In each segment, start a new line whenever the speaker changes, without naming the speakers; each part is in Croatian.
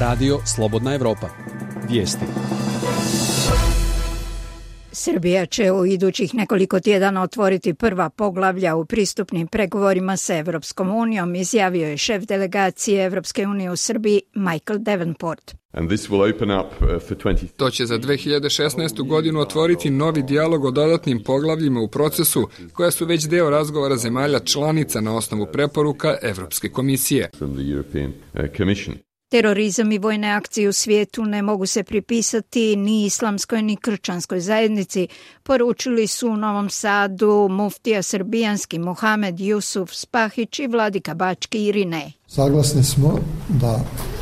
Radio Slobodna Evropa. Vijesti.
Srbija će u idućih nekoliko tjedana otvoriti prva poglavlja u pristupnim pregovorima sa Evropskom unijom, izjavio je šef delegacije Evropske unije u Srbiji Michael Davenport.
To će za 2016. godinu otvoriti novi dijalog o dodatnim poglavljima u procesu, koja su već deo razgovora zemalja članica na osnovu preporuka Evropske komisije.
Terorizam i vojne akcije u svijetu ne mogu se pripisati ni islamskoj ni kršćanskoj zajednici, poručili su u Novom Sadu muftija srbijanski Muhamed Jusuf Spahić i vladika Bački Irinej.
Saglasni smo da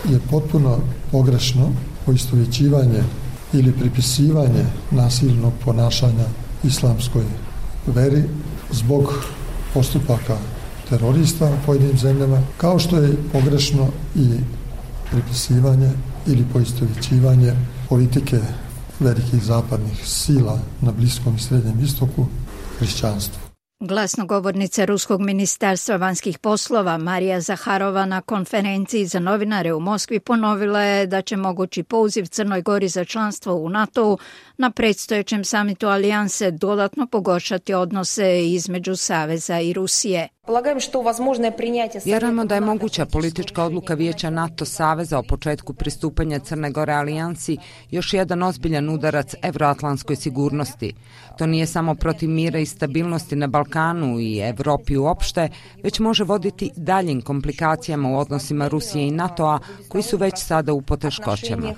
je potpuno pogrešno poistovjećivanje ili pripisivanje nasilnog ponašanja islamskoj veri zbog postupaka terorista u pojedinim zemljama, kao što je pogrešno i pripisivanje ili poistovjećivanje politike velikih zapadnih sila na Bliskom i Srednjem istoku hrišćanstvu.
Glasnogovornica Ruskog ministarstva vanjskih poslova Marija Zaharova na konferenciji za novinare u Moskvi ponovila je da će mogući poziv Crnoj Gori za članstvo u NATO-u na predstojećem samitu alijanse dodatno pogoršati odnose između Saveza i Rusije.
Vjerujemo da je moguća politička odluka Vijeća NATO Saveza o početku pristupanja Crne Gore alijansi još jedan ozbiljan udarac evroatlantskoj sigurnosti. To nije samo protiv mira i stabilnosti na Balkanu i Evropi uopšte, već može voditi daljim komplikacijama u odnosima Rusije i NATO-a koji su već sada u poteškoćama.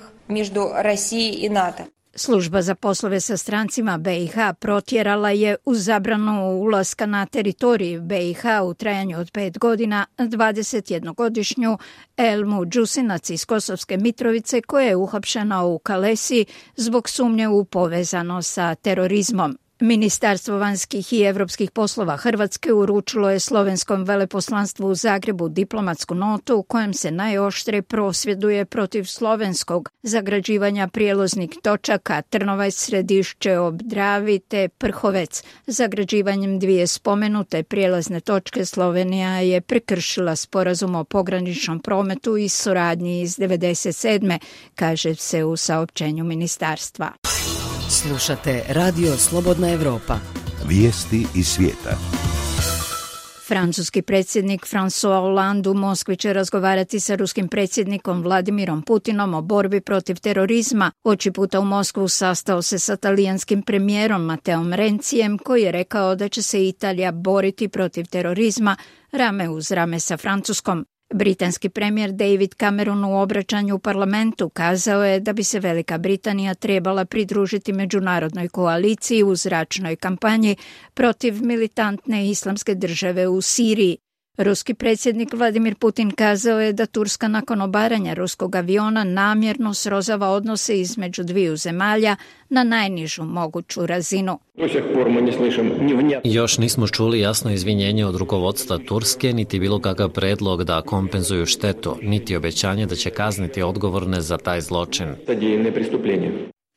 Služba za poslove sa strancima BiH protjerala je uz zabranu ulaska na teritoriji BiH u trajanju od 5 godina 21-godišnju Elmu Đusinac iz Kosovske Mitrovice koja je uhapšena u Kalesi zbog sumnje u povezanost sa terorizmom. Ministarstvo vanjskih i evropskih poslova Hrvatske uručilo je slovenskom veleposlanstvu u Zagrebu diplomatsku notu u kojem se najoštrije prosvjeduje protiv slovenskog zagrađivanja prijelaznih točaka Trnovaj, Središće ob Dravi te Prhovec. Zagrađivanjem dvije spomenute prijelazne točke Slovenija je prekršila sporazum o pograničnom prometu i suradnji iz 1997. kaže se u saopćenju ministarstva.
Slušate Radio Slobodna Evropa.
Vijesti iz svijeta.
Francuski predsjednik François Hollande u Moskvi će razgovarati sa ruskim predsjednikom Vladimirom Putinom o borbi protiv terorizma. Oči puta u Moskvu sastao se sa talijanskim premijerom Matteom Rencijem koji je rekao da će se Italija boriti protiv terorizma rame uz rame sa Francuskom. Britanski premijer David Cameron u obraćanju u parlamentu kazao je da bi se Velika Britanija trebala pridružiti međunarodnoj koaliciji u zračnoj kampanji protiv militantne islamske države u Siriji. Ruski predsjednik Vladimir Putin kazao je da Turska nakon obaranja ruskog aviona namjerno srozava odnose između dviju zemalja na najnižu moguću razinu.
Još nismo čuli jasno izvinjenje od rukovodstva Turske, niti bilo kakav predlog da kompenzuju štetu, niti obećanje da će kazniti odgovorne za taj zločin.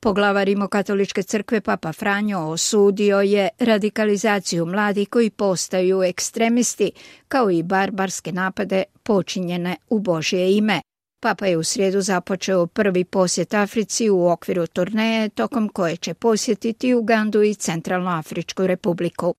Poglavar Rimokatoličke crkve Papa Franjo osudio je radikalizaciju mladih koji postaju ekstremisti, kao i barbarske napade počinjene u Božje ime. Papa je u srijedu započeo prvi posjet Africi u okviru turneje, tokom koje će posjetiti Ugandu i Centralnoafričku republiku.